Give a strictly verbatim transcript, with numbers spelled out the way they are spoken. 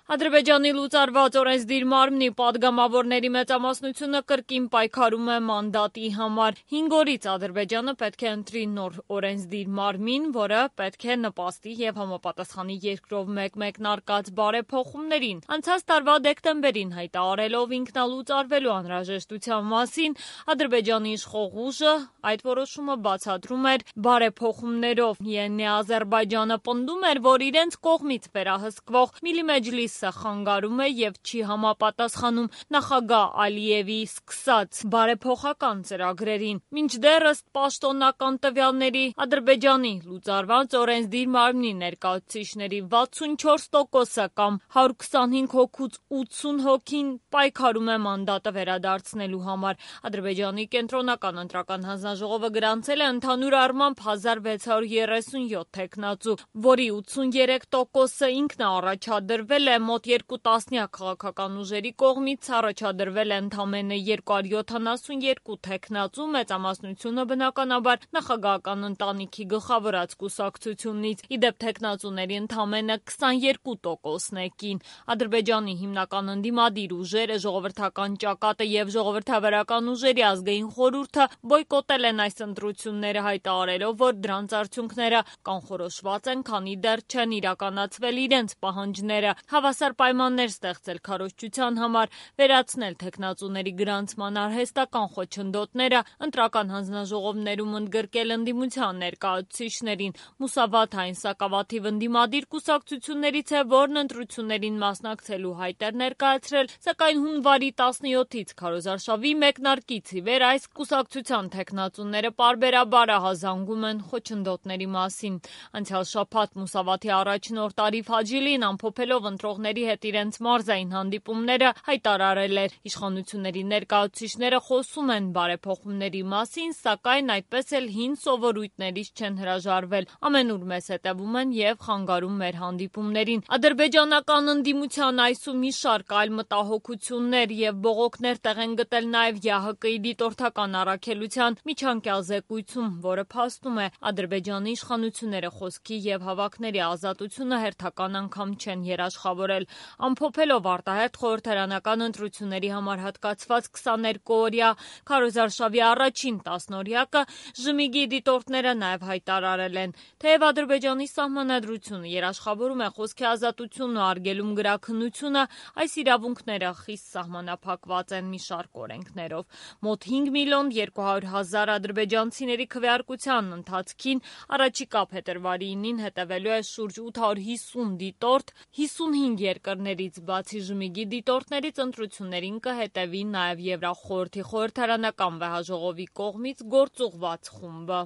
Ադրբեջանի լուծարված օրենսդիր մարմնի պատգամավորների մեծամասնությունը կրկին պայքարում է մանդատի համար։ Հինգ օրից Ադրբեջանը պետք է ընտրի նոր օրենսդիր մարմին, որը պետք է նպաստի և համապատասխանի երկրով մեկ մեկնարկած բարեփոխումներին։ Անցած տարվա դեկտեմբերին հայտարարելով ինքնալուծարվելու անհրաժեշտության մասին, Ադրբեջանի իշխող ուժը այդ որոշումը բացատրում էր բարեփոխումներով։ ԵՆ Ադրբեջանը պնդում էր, որ իրենց կողմից վերահսկվող Միլի Մեջլիսը խանգարում է և չի համապատասխանում նախագահ Ալիևի սկսած բարեփոխական ծրագրերին։ Մինչդեռ ըստ պաշտոնական տվյալների Ադրբեջանի լուծարված օրենսդիր մարմնի ներկայացուցիչների վաթսունչորս տոկոսը կամ հարյուր քսանհինգ հոգուց ութսուն հոգին պայքարում է մանդատը վերադարձնելու համար։ Ադրբեջանի կենտրոնական ընտրական հանձնաժողովը գրանցել է ընդհանուր առմամբ հազար վեց հարյուր երեսունյոթ թեկնածու, որի ութսուներեք տոկոսը ինքն է առաջադրվել է մոտ երկու տասնյակ քաղաքական ուժերի կողմից, առաջադրվել է ընդամենը երկու հարյուր յոթանասունյոթ թեկնածու, մեծամասնությունը բնականաբար նախագահական ընտանիքի գլխավորած կուսակցությունից։ Ի դեպ թեկնածուների ընդամենը քսաներկու տոկոսն է կին։ Ադրբեջանի հիմնական ընդդիմադիր ուժերը, ժողովրդական ճակատը և ժողովրդավարական ուժերի ազգային խորհուրդը բոյկոտել են այս ընտրությունները, հայտարարելով, որ դրանց արդյունքները կանխորոշված են, քանի դեռ չեն իրականացվել իրենց պահանջները։ Հավասար պայմաններ ստեղծել քարոզչության համար, վերացնել թեկնածուների գրանցման արհեստական խոչընդոտները, ընտրական հանձնաժողովներում ընդգրկել ընդդիմության ներկայացուցիչներին։ Մուսավաթային սակավաթիվ ընդդիմադիր կուսակցություններից է, որն ընտրություններին մասնակցելու հայտ էր ներկայացրել, սակայն հունվարի տասնյոթից քարոզարշավի մեկնարկից ի վեր այս կուսակցության թեկնածուները պարբերաբար ահազանգում են խոչընդոտների մասին։ Անցյալ շաբաթ Մուսավաթի առաջնորդ Արիֆ Հաջիլին, ամփոփելով ընտրողների հետ իրենց մարզային հանդիպումները, հայտարարել էր. իշխանությունների ներկայացուցիչները խոսում են բարեփոխումների մասին, սակայն այդպես էլ հին սովորույթներից չեն հրաժարվել, ամենուր մեզ հետևում են և խանգարում մեր հանդիպումներին։ Ադրբեջանական ընդդիմության այս ու մի շարք այլ մտահոգություններ և բողոքներ տեղ են գտել նաև ԵԱՀԿ-ի դիտորդական առաքելության միջանկյալ զեկույցում, որը փաստում է Ադրբեջանի իշխանությունները խոսքի և հավաքների ազատությունը հերթական անգամ չեն երաշխավորել։ Ամփոփելով արտահերթ խորհրդարանական ընտրությունների համար հատկացված քսաներկուօրյա քարոզարշավի առաջին տասնօրյակը, ԺՄԻԳ-ի դիտորդները նաև հայտարարել են. թեև Ադրբեջանի սահմանադրությունը երաշխավորում է խոսքի ազատությունն ու արգելում գրաքննությունը, այս իրավունքները խիստ սահմանափակված են մի շարք օրենքներով։ Մոտ հինգ միլիոն երկու հարյուր հազար ադրբեջանցիների քվեարկության ընթացքին առաջիկա փետրվարի ինին հետևելու է շուրջ ութ հարյուր հիսուն դիտորդ, հիսունհինգ երկրներից, բացի ԺՄԻԳ-ի դիտորդներից ընտրություններին կհետևի նաև Եվրախորհրդի խորհրդարանական վեհաժողովի կողմից գործուղված խումբը։